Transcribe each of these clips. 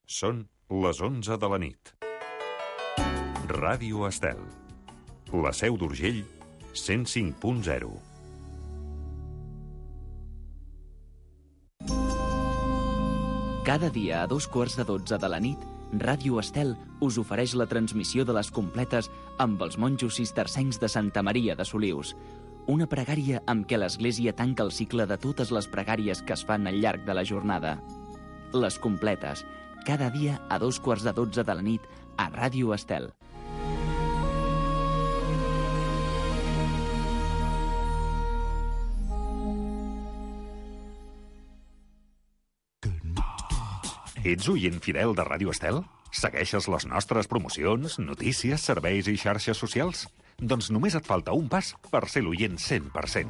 Són les 11 de la nit. Ràdio Estel. La Seu d'Urgell, 105.0. Cada dia a 12:15 de la nit, Ràdio Estel us ofereix la transmissió de les completes amb els monjos cistercencs de Santa Maria de Solius. Una pregària amb què l'Església tanca el cicle de totes les pregàries que es fan al llarg de la jornada. Les completes, cada dia a 12:15 de la nit a Ràdio Estel. Ets oient fidel de Ràdio Estel? Segueixes les nostres promocions, notícies, serveis i xarxes socials? Doncs només et falta un pas per ser l'oient 100%.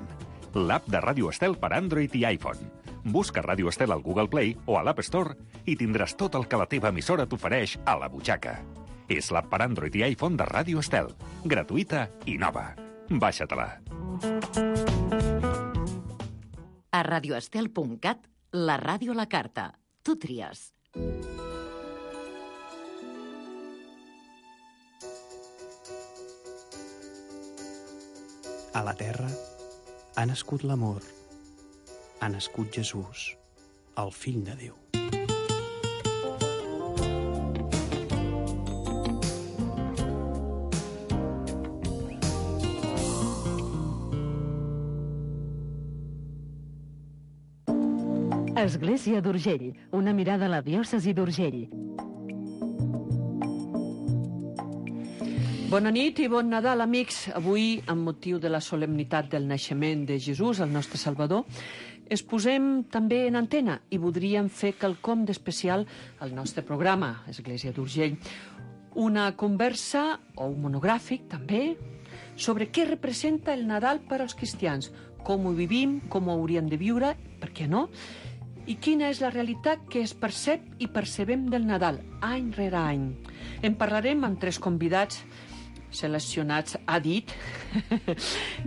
L'app de Ràdio Estel per Android i iPhone. Busca Ràdio Estel al Google Play o a l'App Store i tindràs tot el que la teva emissora t'ofereix a la butxaca. És l'app per Android i iPhone de Ràdio Estel. Gratuïta i nova. Baixa-te-la. A radioestel.cat, la ràdio a la carta. Tu tries. A la terra ha nascut l'amor. Ha nascut Jesús, el fill de Déu. Església d'Urgell, una mirada a la diòcesi d'Urgell. Bona nit i bon Nadal, amics. Avui, amb motiu de la solemnitat del naixement de Jesús, el nostre Salvador, es posem també en antena i voldríem fer quelcom d'especial al nostre programa, Església d'Urgell. Una conversa, o un monogràfic també, sobre què representa el Nadal per als cristians, com ho vivim, com ho hauríem de viure, per què no? I quina és la realitat que es percep i percebem del Nadal, any rere any. En parlarem amb 3 convidats seleccionats a dit,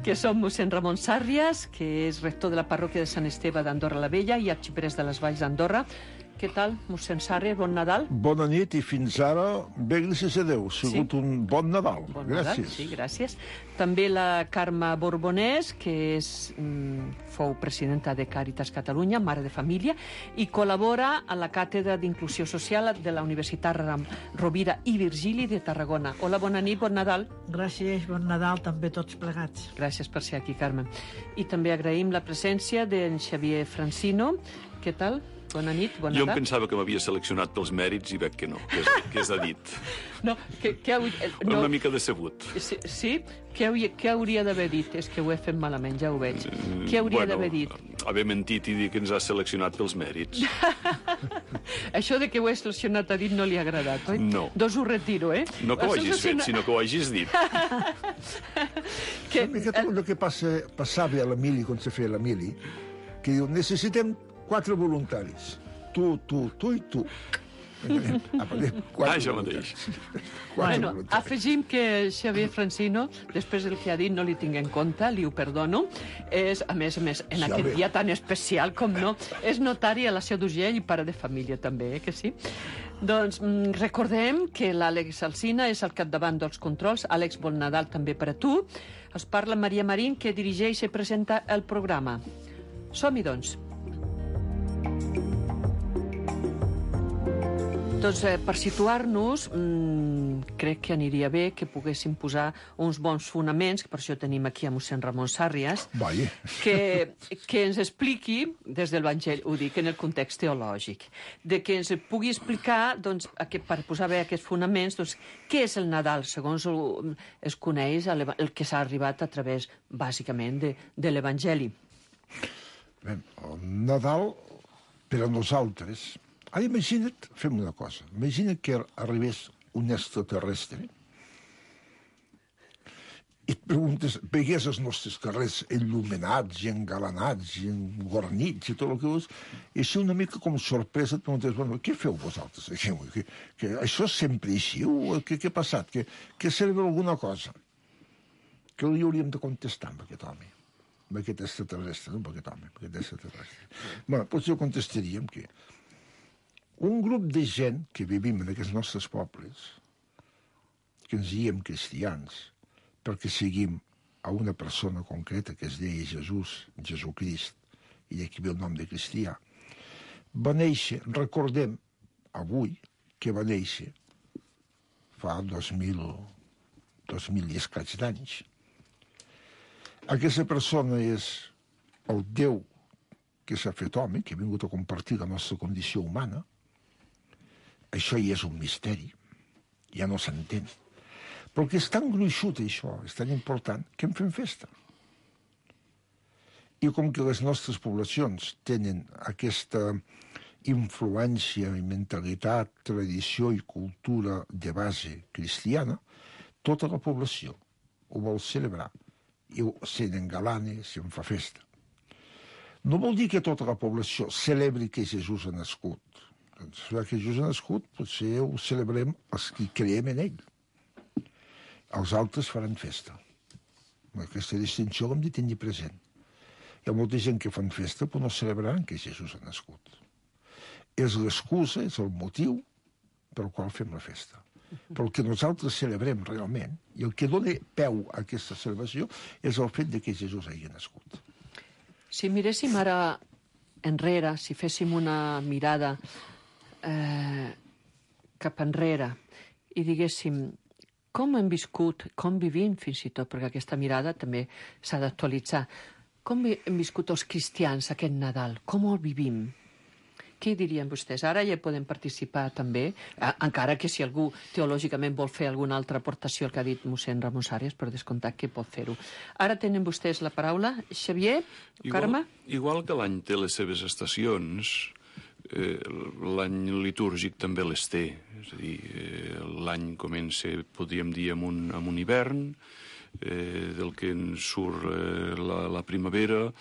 que són mossèn Ramon Sàrrias, que és rector de la parròquia de Sant Esteve d'Andorra la Vella i arxiprès de les Valls d'Andorra. Què tal, mossèn Sàrrias? Bon Nadal. Bona nit i fins ara, bé, gràcies a Déu. Ha sigut un bon Nadal. Bon gràcies. Nadal, sí, gràcies. També la Carme Borbonès, que fou presidenta de Càritas Catalunya, mare de família, i col·labora a la Càtedra d'Inclusió Social de la Universitat Rovira i Virgili de Tarragona. Hola, bona nit, bon Nadal. Gràcies, bon Nadal també tots plegats. Gràcies per ser aquí, Carme. I també agraïm la presència d'en Xavier Francino. Què tal? Bona nit, bon Nadal. Jo em pensava que m'havia seleccionat pels mèrits i veig que no, que és a dit. No, no. Una mica decebut. Sí? Què hauria d'haver dit? És que ho he fet malament, ja ho veig. Què hauria d'haver dit? Haver mentit i dir que ens ha seleccionat pels mèrits. Això de que ho he seleccionat a dit no li ha agradat, oi? No. Doncs ho retiro, eh? No que ho hagis fet, sinó que ho hagis dit. Una miqueta el que passava a l'Emili, quan se feia l'Emili, que diu, necessitem 4 voluntaris. Tu i tu. Això mateix. Bueno, afegim que Xavier Francino, després del que ha dit, no li tinc en compte, li ho perdono. És, a més, en aquest dia tan especial com no, és notari a la Seu d'Urgell i pare de família també, que sí? Doncs recordem que l'Àlex Alsina és al capdavant dels controls. Àlex, bon Nadal també per a tu. Es parla Maria Marín, que dirigeix i presenta el programa. Som-hi, doncs. Doncs per situar-nos, crec que aniria bé que poguéssim posar uns bons fonaments, que per això tenim aquí a mossèn Ramon Sàrrias, que ens expliqui, des de l'Evangeli, ho dic en el context teològic, de que ens pugui explicar, doncs, per posar bé aquests fonaments, doncs, què és el Nadal, segons es coneix el que s'ha arribat a través, bàsicament, de l'Evangeli. Bé, el Nadal, per a nosaltres... Ara imagina't, fem una cosa, imagina't que arribés un extraterrestre i et preguntes, vegués els nostres carrers il·luminats i engalanats i guarnits i tot el que vols, i així una mica com sorpresa et preguntes, bueno, què feu vosaltres aquí? Que això és sempre així? Què ha passat? Que serveix alguna cosa? Què li hauríem de contestar amb aquest home? Amb aquest extraterrestre, no amb aquest home, amb aquest extraterrestre. Bueno, potser contestaríem que Un grup de gent que vivim en aquests nostres pobles, que ens diem cristians, perquè seguim a una persona concreta que es deia Jesucrist, i d'aquí ve el nom de cristià, va néixer, recordem avui que va néixer fa 2000 i escaig d'anys. Aquesta persona és el Déu que s'ha fet home, que ha vingut a compartir la nostra condició humana. Això ja és un misteri, ja no s'entén. Però que és tan gruixut això, és tan important, que en fem festa. I com que les nostres poblacions tenen aquesta influència i mentalitat, tradició i cultura de base cristiana, tota la població ho vol celebrar i s'engalana, se'n fa festa. No vol dir que tota la població celebri que Jesús ha nascut. Doncs, que Jesús ha nascut, potser ho celebrem els que creiem en ell. Els altres faran festa. Aquesta distinció l'hem de tenir present. Hi ha molta gent que fan festa però no celebraran que Jesús ha nascut. És l'excusa, és el motiu pel qual fem la festa. Però el que nosaltres celebrem realment, i el que dona peu a aquesta celebració, és el fet de que Jesús hagi nascut. Si miréssim ara enrere, si féssim una mirada cap enrere i diguéssim com hem viscut, com vivim fins i tot, perquè aquesta mirada també s'ha d'actualitzar, com hem viscut els cristians aquest Nadal, com el vivim? Què dirien vostès? Ara ja podem participar també, encara que si algú teològicament vol fer alguna altra aportació al que ha dit mossèn Ramon Sàrries, per descomptat que pot fer-ho. Ara tenen vostès la paraula. Xavier, Carme? Igual que l'any té les seves estacions, l'any litúrgic també les té. És a dir, l'any comença, podríem dir, amb un hivern, del que en surt la primavera,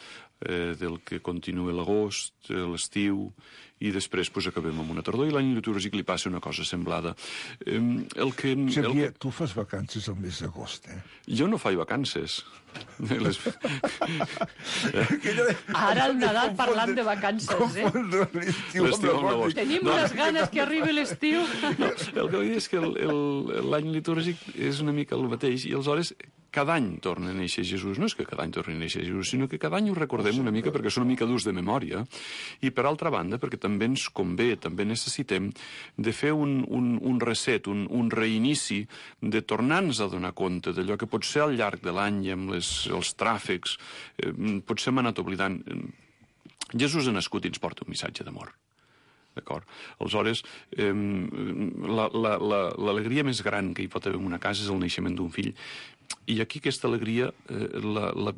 del que continua l'agost, l'estiu, i després acabem amb una tardor, i l'any litúrgic li passa una cosa semblada. Xavier, tu fas vacances al mes d'agost, eh? Jo no faig vacances. Ara el Nadal parlant de vacances, eh? Tenim unes ganes que arribi l'estiu. El que vull dir és que l'any litúrgic és una mica el mateix, i aleshores cada any torna a néixer Jesús. No és que cada any torni a néixer Jesús, sinó que cada any ho recordem una mica perquè són una mica durs de memòria, i per altra banda perquè també ens convé, també necessitem de fer un reset, un reinici, de tornar-nos a donar compte d'allò que potser al llarg de l'any i amb els tràfics potser hem anat oblidant. Jesús ha nascut i ens porta un missatge d'amor. D'acord? Aleshores, l'alegria més gran que hi pot haver en una casa és el naixement d'un fill. I aquí aquesta alegria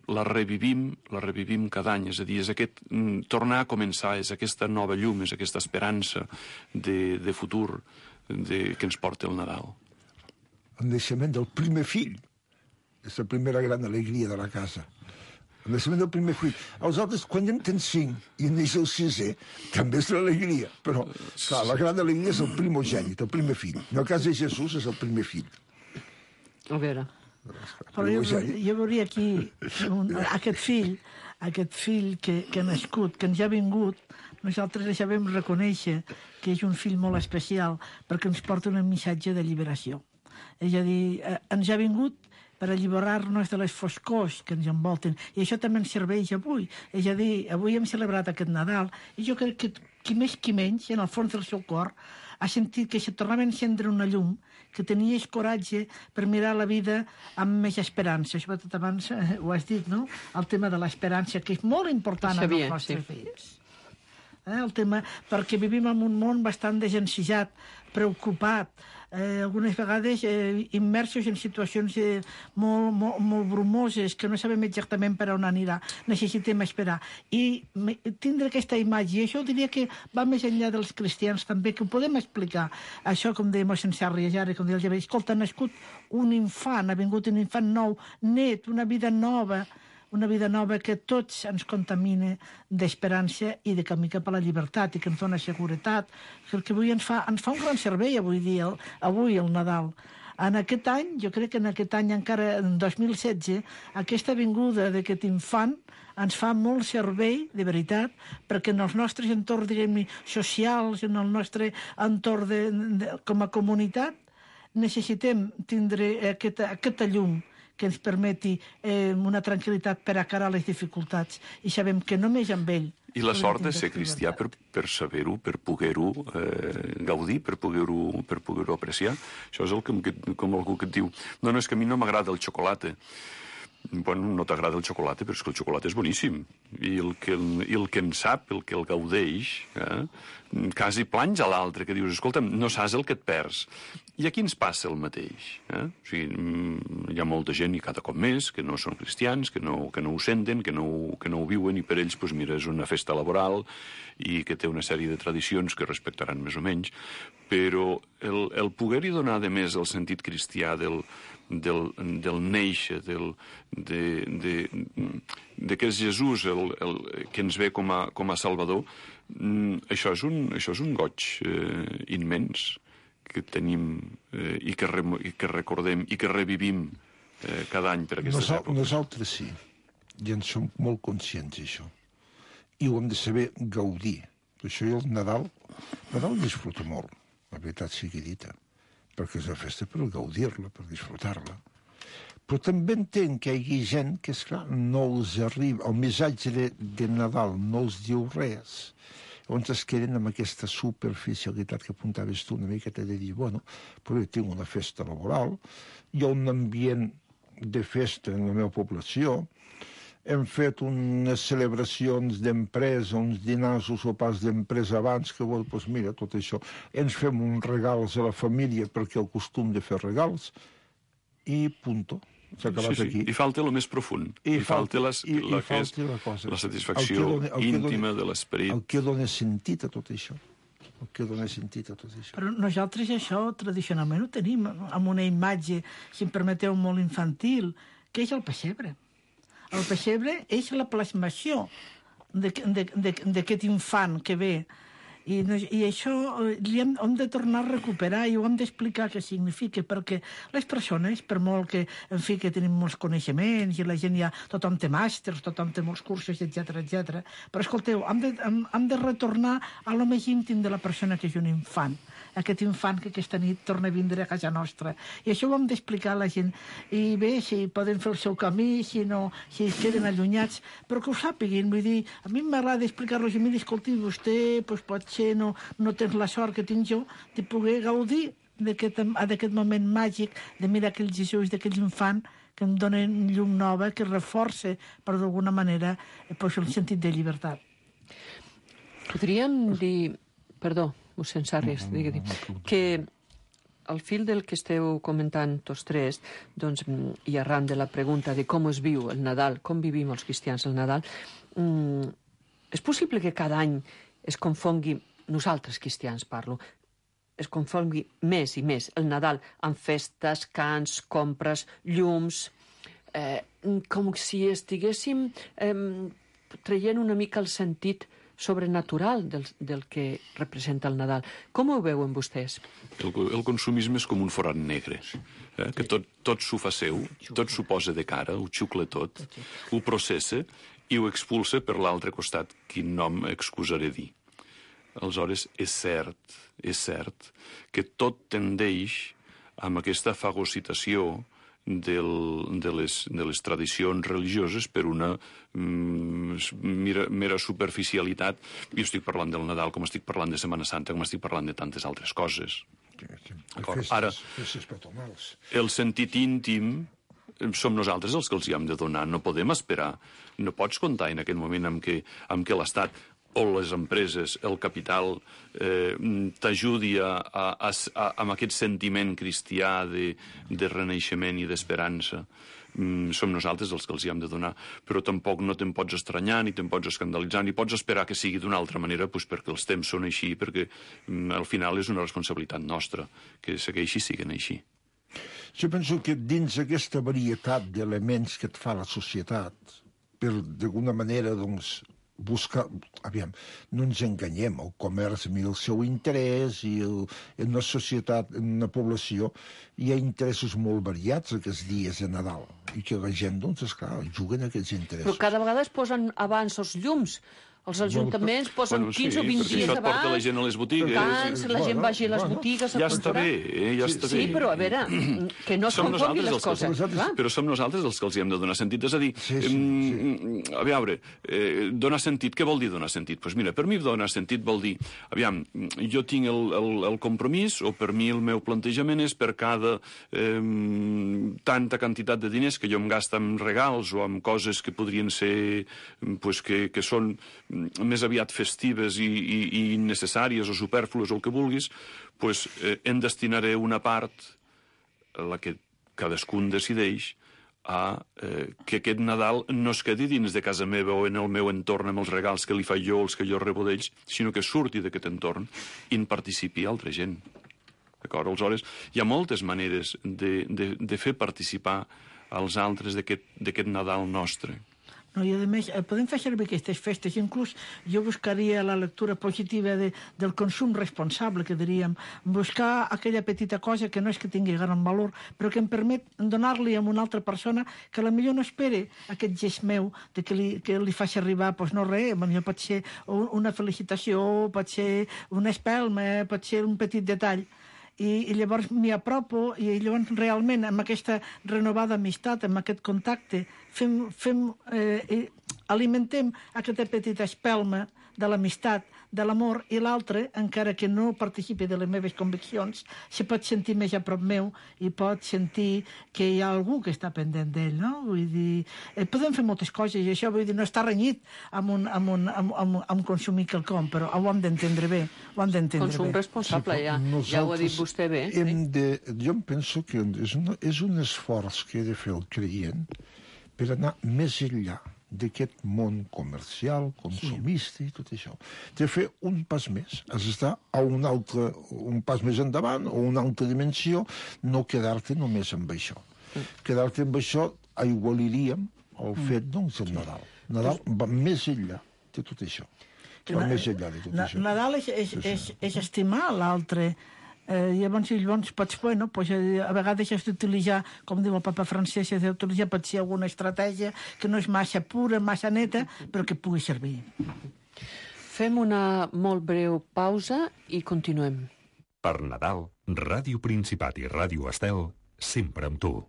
la revivim cada any, és a dir, és aquest tornar a començar, és aquesta nova llum, és aquesta esperança de futur que ens porta el Nadal. El naixement del primer fill és la primera gran alegria de la casa. El naixement del primer fill. Els altres, quan ja en tens 5 i en neix el 6è, també és l'alegria. Però, clar, la gran alegria és el primogènit, el primer fill. En el cas de Jesús és el primer fill. A veure... Però jo veuria aquí aquest fill que ha nascut, que ens ha vingut, nosaltres ja vam reconèixer que és un fill molt especial perquè ens porta un missatge de lliberació. És a dir, ens ha vingut per alliberar-nos de les foscors que ens envolten. I això també ens serveix avui. És a dir, avui hem celebrat aquest Nadal i jo crec que qui més qui menys, en el fons del seu cor, ha sentit que se tornava a encendre una llum, que tenies coratge per mirar la vida amb més esperança. Sobretot abans ho has dit, no? El tema de l'esperança, que és molt important en els nostres fills. El tema, perquè vivim en un món bastant desencisat, preocupat, algunes vegades immersos en situacions molt brumoses, que no sabem exactament per on anirà. Necessitem esperar. I tindre aquesta imatge, i això diria que va més enllà dels cristians també, que ho podem explicar. Això, com deia mossèn Sàrries ara, com deia el Javier, escolta, ha nascut un infant, ha vingut un infant nou, net, una vida nova que tots ens contamina d'esperança i de camí cap a la llibertat i que ens dona seguretat, que avui ens fa un gran servei avui el Nadal. En aquest any, jo crec que en aquest any encara, en 2016, aquesta vinguda d'aquest infant ens fa molt servei, de veritat, perquè en els nostres entorns, diguem-ne, socials, en el nostre entorn com a comunitat, necessitem tindre aquesta llum que ens permeti una tranquil·litat per a cara a les dificultats. I sabem que només amb ell... I la sort de ser cristià per saber-ho, per poder-ho gaudir, per poder-ho apreciar. Això és com algú que et diu no, és que a mi no m'agrada el xocolata. Bueno, no t'agrada el xocolata, però és que el xocolata és boníssim. I el que en sap, el que el gaudeix, quasi planys a l'altre, que dius, escolta'm, no saps el que et perds. I aquí ens passa el mateix. O sigui, hi ha molta gent, i cada cop més, que no són cristians, que no ho senten, que no ho viuen, i per ells, doncs, mira, és una festa laboral i que té una sèrie de tradicions que respectaran més o menys, però el poder-hi donar, de més, el sentit cristià del néixer, que és Jesús que ens ve com a Salvador, això és un goig immens que tenim i que recordem i que revivim cada any per aquestes èpoques. Nosaltres sí, i en som molt conscients d'això. I ho hem de saber gaudir. Per això jo el Nadal disfruto molt, la veritat sigui dita, perquè és una festa per gaudir-la, per disfrutar-la. Però també entenc que hi hagi gent que, esclar, no els arriba, el missatge de Nadal no els diu res, llavors es queden amb aquesta superficialitat que apuntaves tu, una miqueta de dir, bueno, però jo tinc una festa laboral, hi ha un ambient de festa en la meva població, hem fet unes celebracions d'empresa, uns dinars o sopars d'empresa abans, que, bueno, doncs mira, tot això. Ens fem uns regals a la família perquè el costum de fer regals, i punto. S'ha acabat aquí. I falta el més profund. I falta la satisfacció íntima de l'esperit. El que dona sentit a tot això. Però nosaltres això tradicionalment ho tenim amb una imatge, si em permeteu, molt infantil, que és el pessebre. El pessebre és la plasmació d'aquest infant que ve. I això hem de tornar a recuperar i ho hem d'explicar què significa, perquè les persones, per molt que, en fi, que tenim molts coneixements i la gent tothom té màsters, tothom té molts cursos, etc. Però escolteu, hem de retornar a lo més íntim de la persona, que és un infant. Aquest infant que aquesta nit torna a vindre a casa nostra. I això ho hem d'explicar a la gent. I bé, si poden fer el seu camí, si es queden allunyats, però que ho sàpiguin. Vull dir, a mi m'agrada explicar-los i dir, escolti, vostè potser no tens la sort que tinc jo de poder gaudir d'aquest moment màgic de mirar aquell Jesús, d'aquell infant que em donen llum nova, que reforça, per d'alguna manera, el sentit de llibertat. Podríem dir... Perdó, mossèn Sarris, que al fil del que esteu comentant tots tres, doncs, i arran de la pregunta de com es viu el Nadal, com vivim els cristians el Nadal, és possible que cada any es confongui, nosaltres cristians parlo, es confongui més i més el Nadal amb festes, cants, compres, llums, com si estiguéssim traient una mica el sentit sobrenatural del que representa el Nadal. Com ho veuen vostès? El consumisme és com un forat negre, que tot s'ho fa seu, tot s'ho posa de cara, ho xucla tot, ho processa i ho expulsa per l'altre costat, quin nom excusaré dir. Aleshores, és cert que tot tendeix amb aquesta fagocitació de les tradicions religioses per una mera superficialitat. Jo estic parlant del Nadal com estic parlant de Setmana Santa, com estic parlant de tantes altres coses. Ara, el sentit íntim som nosaltres els que els hi hem de donar. No podem esperar. No pots comptar en aquest moment amb què l'Estat o les empreses, el capital, t'ajudi amb aquest sentiment cristià de renaixement i d'esperança. Som nosaltres els que els hi hem de donar, però tampoc no te'n pots estranyar, ni te'n pots escandalitzar, ni pots esperar que sigui d'una altra manera, perquè els temps són així, perquè al final és una responsabilitat nostra que segueixi siguin així. Jo penso que dins aquesta varietat d'elements que et fa la societat, per d'alguna manera, doncs, buscar... Aviam, no ens enganyem, el comerç mira el seu interès i en una societat, en una població, hi ha interessos molt variats aquests dies de Nadal i que la gent, doncs, esclar, juguen aquests interessos. Però cada vegada es posen abans els llums. Els ajuntaments posen 15 o 20 dies abans. Això et porta la gent a les botigues. La gent vagi a les botigues a comprar. Ja està bé, ja està bé. Sí, però a veure, que no es confonguin les coses. Però som nosaltres els que els hi hem de donar sentit. És a dir, a veure, donar sentit, què vol dir donar sentit? Doncs mira, per mi donar sentit vol dir, aviam, jo tinc el compromís, o per mi el meu plantejament és per cada tanta quantitat de diners que jo em gasto en regals o en coses que podrien ser, que són més aviat festives i innecessàries o supèrflues o el que vulguis, doncs en destinaré una part, la que cadascun decideix, a que aquest Nadal no es quedi dins de casa meva o en el meu entorn amb els regals que li faig jo o els que jo rebo d'ells, sinó que surti d'aquest entorn i en participi altra gent. D'acord? Aleshores, hi ha moltes maneres de fer participar als altres d'aquest Nadal nostre. No, i a més, podem fer servir aquestes festes, inclús jo buscaria la lectura positiva del consum responsable, que diríem, buscar aquella petita cosa que no és que tingui gran valor, però que em permet donar-li a una altra persona que potser no espere aquest gest meu de que li faci arribar, doncs no res, potser pot ser una felicitació, pot ser una espelma, pot ser un petit detall. I llavors m'hi apropo i llavors realment amb aquesta renovada amistat, amb aquest contacte, alimentem aquesta petita espelma de l'amistat, de l'amor, i l'altre, encara que no participi de les meves conviccions, se pot sentir més a prop meu i pot sentir que hi ha algú que està pendent d'ell, no? Vull dir, podem fer moltes coses i això, vull dir, no està renyit amb consumir quelcom, però ho hem d'entendre bé, ho hem d'entendre bé. Consum responsable, ja ho ha dit vostè bé. Jo em penso que és un esforç que he de fer el creient per anar més enllà d'aquest món comercial, consumista i tot això. De fer un pas més, has d'estar a un pas més endavant o una altra dimensió, no quedar-te només amb això. Quedar-te amb això aigualiríem el fet, doncs, del Nadal. Nadal va més enllà de tot això. Va més enllà de tot això. Nadal és estimar l'altre. Llavors pots, a vegades has d'utilitzar, com diu el papa Francesc, has d'utilitzar potser alguna estratègia que no és massa pura, massa neta, però que pugui servir. Fem una molt breu pausa i continuem. Per Nadal, Ràdio Principat i Ràdio Estel, sempre amb tu.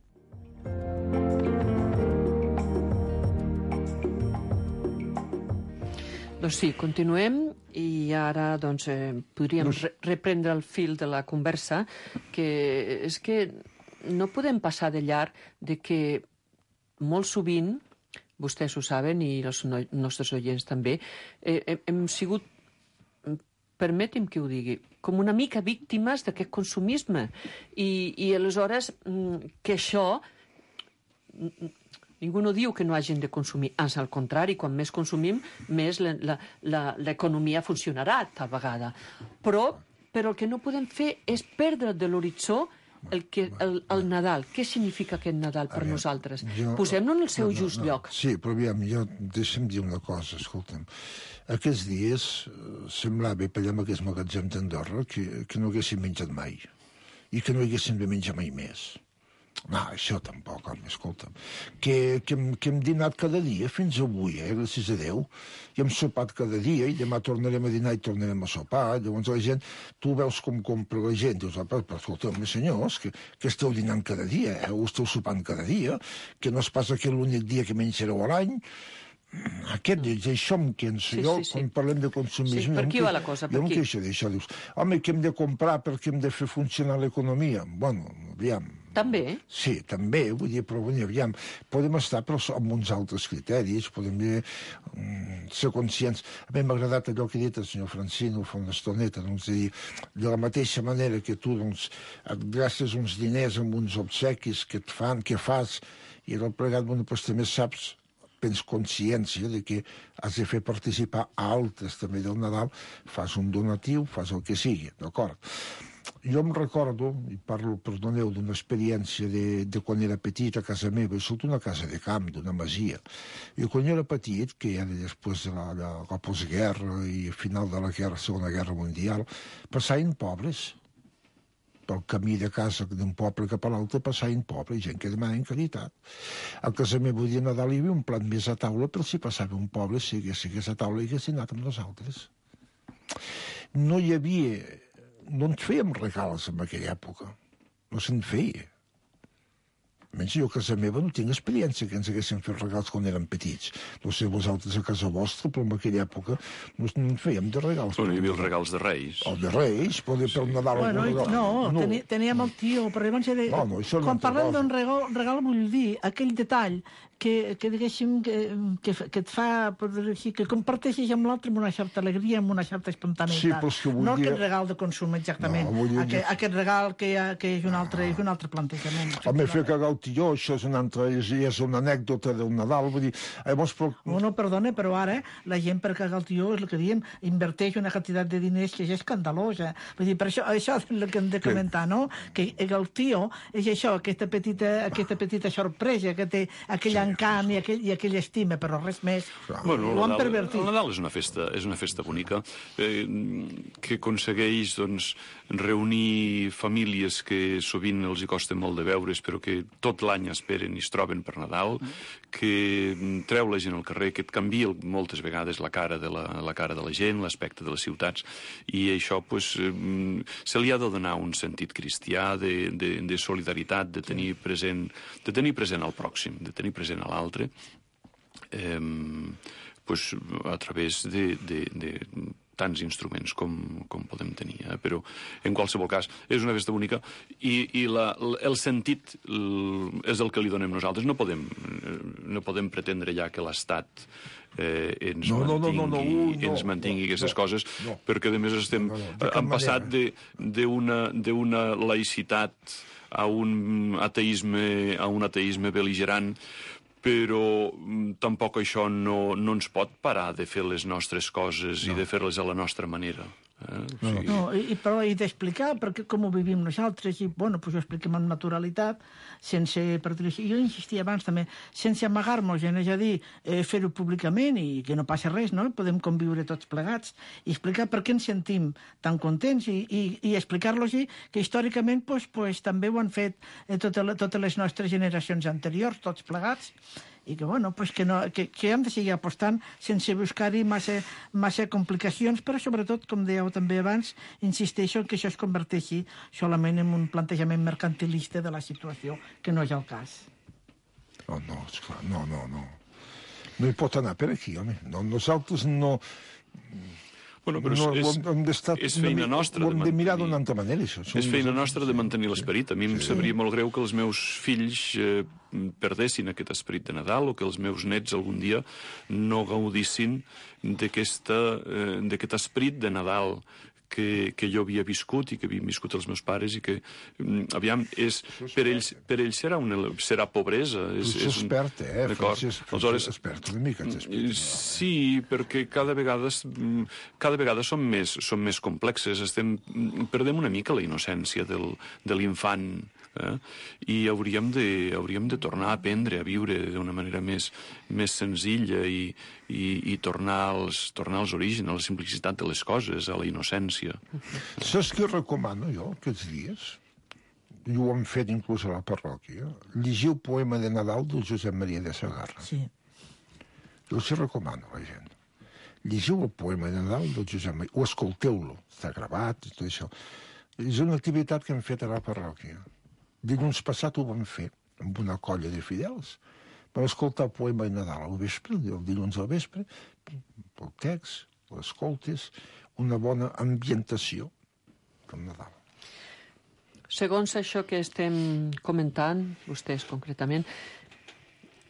Doncs sí, continuem i ara podríem reprendre el fil de la conversa, que és que no podem passar de llarg de que molt sovint, vostès ho saben i els nostres oients també, hem sigut, permeti'm que ho digui, com una mica víctimes d'aquest consumisme i aleshores que això... Ningú no diu que no hagin de consumir, ans al contrari, quan més consumim, més l'economia funcionarà tal vegada. Però el que no podem fer és perdre de l'horitzó el Nadal. Què significa aquest Nadal per nosaltres? Posem-lo en el seu just lloc. Sí, però aviam, deixa'm dir una cosa, escolta'm. Aquests dies semblava, per allà amb aquest magatzem d'Andorra, que no haguessin menjat mai i que no haguessin de menjar mai més. No, això tampoc, home, escolta'm. Que hem dinat cada dia fins avui, gràcies a Déu, i hem sopat cada dia, i demà tornarem a dinar i tornarem a sopar. Llavors la gent, tu veus com compra la gent, dius, però escolta'm, senyors, que esteu dinant cada dia, o esteu sopant cada dia, que no es passa que l'únic dia que menjareu a l'any. Això em quensa. Jo, quan parlem de consumisme... Per aquí va la cosa, per aquí. Jo em queixo d'això, dius, home, que hem de comprar perquè hem de fer funcionar l'economia. Bueno, aviam... També? Sí, també, vull dir, però aviam, podem estar però amb uns altres criteris, podem ser conscients. A mi m'ha agradat allò que ha dit el senyor Francino fa una estoneta, doncs, de la mateixa manera que tu, doncs, et gastes uns diners amb uns obsequis que fas, i el plegat, bueno, doncs també saps, tens consciència de que has de fer participar a altres també del Nadal, fas un donatiu, fas el que sigui, d'acord? Jo em recordo, i parlo, perdoneu, d'una experiència de quan era petit a casa meva, i sóc d'una casa de camp, d'una masia. I quan jo era petit, que era després de la postguerra i al final de la Segona Guerra Mundial, passaven pobres. Pel camí de casa d'un poble cap a l'altre passaven pobres, gent que demanaven caritat. A casa meva dia Nadal hi havia un plat més a taula, però si passava un poble, si hagués a taula, hi hagués anat amb nosaltres. No hi havia... No ens fèiem regals en aquella època. No se'n feia. Almenys jo a casa meva no tinc experiència que ens haguessin fet regals quan érem petits. No sé vosaltres a casa vostra, però en aquella època no en fèiem de regals. Bueno, hi havia els regals de Reis. O de Reis, poder pel Nadal... Bueno, no, teníem el tio, però llavors quan parlem d'un regal vull dir aquell detall que diguéssim, que et fa, que comparteixes amb l'altre amb una certa alegria, amb una certa espontaneïtat. No aquest regal de consum, exactament. Aquest regal que és un altre plantejament. Home, fer cagar el tio, això és una anècdota del Nadal, vull dir... No, perdona, però ara la gent per cagar el tio, és el que diem, inverteix una quantitat de diners que és escandalosa. Vull dir, per això és el que hem de comentar, no? Que el tio és això, aquesta petita sorpresa que té aquell encant i aquella estima, però res més. Bueno, ho han pervertit. El Nadal és una festa bonica que aconsegueix reunir famílies que sovint els hi costa molt de veure's, però que tot l'any esperen i es troben per Nadal, que treu la gent al carrer, que et canvia moltes vegades la cara de la gent, l'aspecte de les ciutats, i això se li ha de donar un sentit cristià de solidaritat, de tenir present al pròxim, de tenir present a l'altre, a través de tants instruments com podem tenir. Però, en qualsevol cas, és una festa bonica i el sentit és el que li donem nosaltres. No podem pretendre ja que l'Estat ens mantingui aquestes coses, perquè, a més, hem passat d'una laïcitat a un ateisme bel·ligerant, però tampoc això no ens pot parar de fer les nostres coses i de fer-les a la nostra manera. I d'explicar com ho vivim nosaltres, i ho expliquem amb naturalitat, jo insistia abans també, sense amagar-nos, és a dir, fer-ho públicament i que no passa res, no? Podem conviure tots plegats i explicar per què ens sentim tan contents i explicar-los que històricament també ho han fet totes les nostres generacions anteriors, tots plegats, i que hem de seguir apostant sense buscar-hi massa complicacions, però sobretot, com dèieu també abans, insisteixo que això es converteixi solament en un plantejament mercantilista de la situació, que no és el cas. No, esclar, no. No hi pot anar per aquí, home. Nosaltres no... Bueno, però és feina nostra de mirar d'una altra manera, això. És feina nostra de mantenir l'esperit. A mi em sabria molt greu que els meus fills perdessin aquest esperit de Nadal o que els meus nets algun dia no gaudissin d'aquest esperit de Nadal que jo havia viscut i que havien viscut els meus pares i que, aviam, per ells serà pobresa. És expert, Francesc, expert una mica. Sí, perquè cada vegada són més complexes. Perdem una mica la innocència de l'infant, i hauríem de tornar a aprendre a viure d'una manera més senzilla i tornar als orígens, a la simplicitat de les coses, a la innocència. Saps què recomano jo aquests dies? I ho hem fet inclús a la parròquia. Llegir el poema de Nadal del Josep Maria de Sagarra. Sí. Jo els recomano a la gent. Llegiu el poema de Nadal del Josep Maria, o escolteu-lo, està gravat i tot això. És una activitat que hem fet a la parròquia. Dilluns passat ho vam fer amb una colla de fidels. Vam escoltar el poema de Nadal al vespre, el dilluns al vespre, el text, l'escoltes, una bona ambientació del Nadal. Segons això que estem comentant, vostès concretament,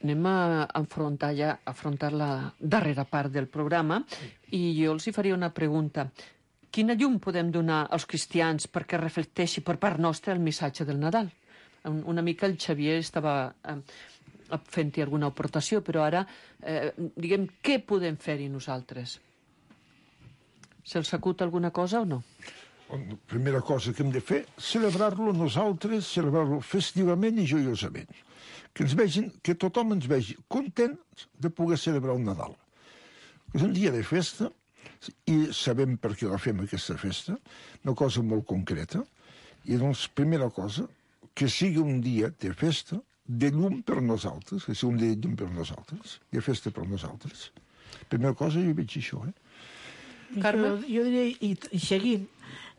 anem a afrontar la darrera part del programa i jo els hi faria una pregunta. Quina llum podem donar als cristians perquè reflecteixi per part nostra el missatge del Nadal? Una mica el Xavier estava fent-hi alguna aportació, però ara, diguem, què podem fer-hi nosaltres? Se'ls acut alguna cosa o no? La primera cosa que hem de fer, celebrar-lo nosaltres, celebrar-lo festivament i joiosament. Que ens vegin, que tothom ens vegi contents de poder celebrar el Nadal. És un dia de festa i sabem per què la fem aquesta festa, una cosa molt concreta, i doncs, primera cosa, que sigui un dia de festa, de llum per nosaltres, que sigui un dia de llum per nosaltres, de festa per nosaltres. Primera cosa, jo veig això, Carme? Jo diria, i seguint,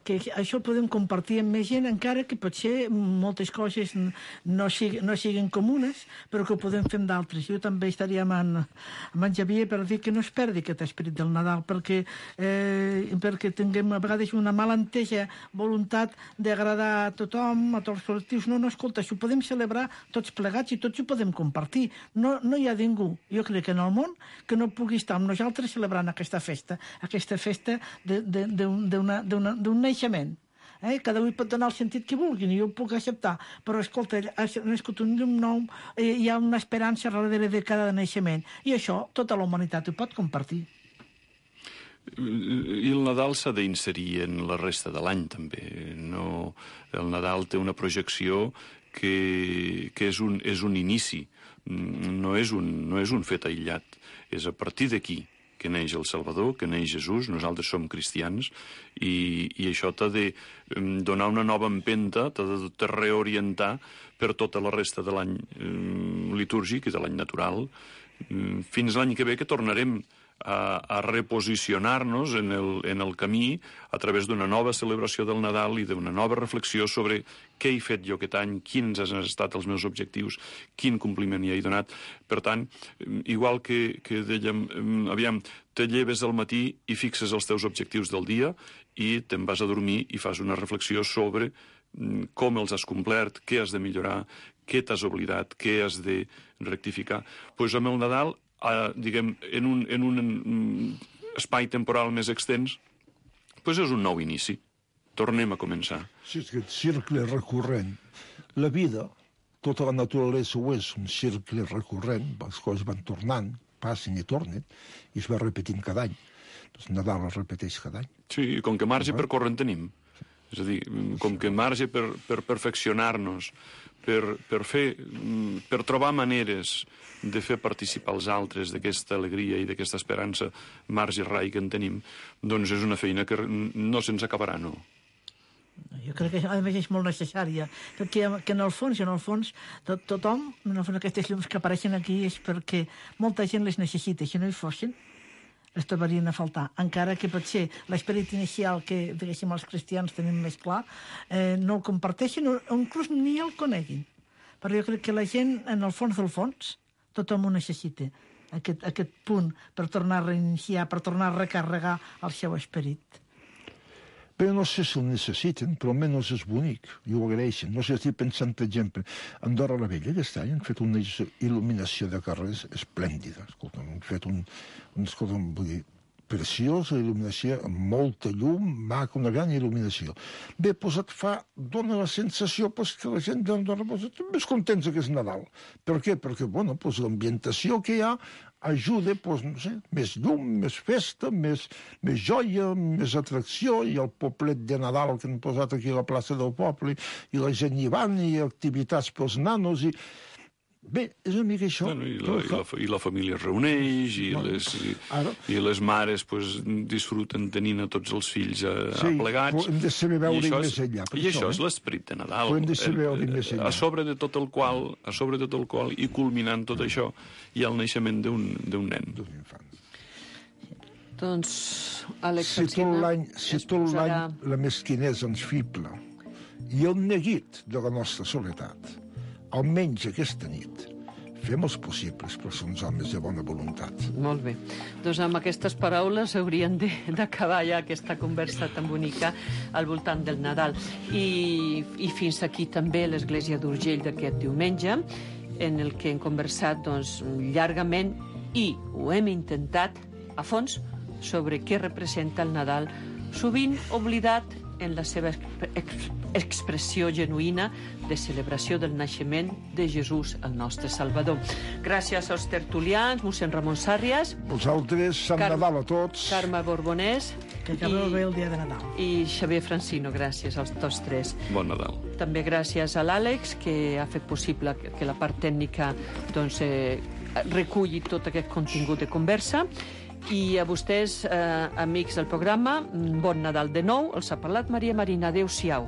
que això ho podem compartir amb més gent, encara que potser moltes coses no siguin comunes, però que ho podem fer amb d'altres. Jo també estaria amb en Xavier per dir que no es perdi aquest esperit del Nadal, perquè tinguem a vegades una mala entesa voluntat d'agradar a tothom, a tots els col·lectius. No, escolta, això ho podem celebrar tots plegats i tots ho podem compartir. No hi ha ningú, jo crec que en el món, que no pugui estar amb nosaltres celebrant aquesta festa d'un naixement. Cada un pot donar el sentit que vulguin i jo ho puc acceptar, però escolta, ha nascut un llum nou, hi ha una esperança darrere de cada naixement i això tota la humanitat ho pot compartir. I el Nadal s'ha d'inserir en la resta de l'any també. El Nadal té una projecció que és un inici, no és un fet aïllat, és a partir d'aquí que neix el Salvador, que neix Jesús, nosaltres som cristians, i això t'ha de donar una nova empenta, t'ha de reorientar per tota la resta de l'any litúrgic i de l'any natural, fins l'any que ve que tornarem a reposicionar-nos en el camí a través d'una nova celebració del Nadal i d'una nova reflexió sobre què he fet jo aquest any, quins han estat els meus objectius, quin compliment hi he donat. Per tant, igual que dèiem, aviam, te lleves al matí i fixes els teus objectius del dia i te'n vas a dormir i fas una reflexió sobre com els has complert, què has de millorar, què t'has oblidat, què has de rectificar. Doncs amb el Nadal, diguem, en un espai temporal més extens, doncs és un nou inici. Tornem a començar. Sí, és aquest cercle recurrent. La vida, tota la naturalesa ho és, un cercle recurrent, les coses van tornant, passen i tornen, i es va repetint cada any. Doncs Nadal es repeteix cada any. Sí, i com que marge per córrer en tenim. És a dir, com que marge per perfeccionar-nos, per trobar maneres de fer participar els altres d'aquesta alegria i d'aquesta esperança, marge rai que en tenim, doncs és una feina que no se'ns acabarà, no. Jo crec que a més és molt necessària, perquè en el fons tothom, en el fons aquestes llums que apareixen aquí és perquè molta gent les necessita, si no hi fossin es trobarien a faltar, encara que potser l'esperit inicial que, diguéssim, els cristians tenim més clar, no el comparteixin o inclús ni el coneguin. Però jo crec que la gent, en el fons del fons, tothom ho necessita, aquest punt per tornar a reiniciar, per tornar a recarregar el seu esperit. Però no sé si el necessiten, però almenys és bonic, i ho agraeixen. No sé, estic pensant, per exemple, a Andorra la Vella, aquest any han fet una il·luminació de carrers esplèndida. Escolta, han fet vull dir, preciosa il·luminació, amb molta llum, maca, una gran il·luminació. Bé, doncs dona la sensació que la gent d'Andorra estan més contents que és Nadal. Per què? Perquè, l'ambientació que hi ha ajuda, no sé, més llum, més festa, més joia, més atracció, i el poblet de Nadal que han posat aquí a la plaça del poble, i la gent hi van, i activitats pels nanos, i... Bé, és una mica això. I la família es reuneix, i les mares disfruten tenint a tots els fills aplegats. Sí, hem de saber veure més enllà. I això és l'esperit de Nadal. Hem de saber veure més enllà. A sobre de tot el qual, i culminant tot això, hi ha el naixement d'un nen. D'un infant. Doncs, Àlex Alsina... Si tot l'any la mesquinesa ens fibla i el neguit de la nostra soledat, almenys aquesta nit, fem els possibles per ser uns homes de bona voluntat. Molt bé. Doncs amb aquestes paraules haurien d'acabar ja aquesta conversa tan bonica al voltant del Nadal. I fins aquí també l'Església d'Urgell d'aquest diumenge, en el que hem conversat llargament i ho hem intentat a fons sobre què representa el Nadal, sovint oblidat en la seva expressió genuïna de celebració del naixement de Jesús, el nostre Salvador. Gràcies als tertulians, mossèn Ramon Sàrrias. Vosaltres, Sant Nadal a tots. Carme Borbonès. Que acabeu bé el dia de Nadal. I Xavier Francino, gràcies als tots tres. Bon Nadal. També gràcies a l'Àlex, que ha fet possible que la part tècnica doncs, reculli tot aquest contingut de conversa. I a vostès, amics del programa, bon Nadal de nou. Els ha parlat Maria Marina. Adéu-siau.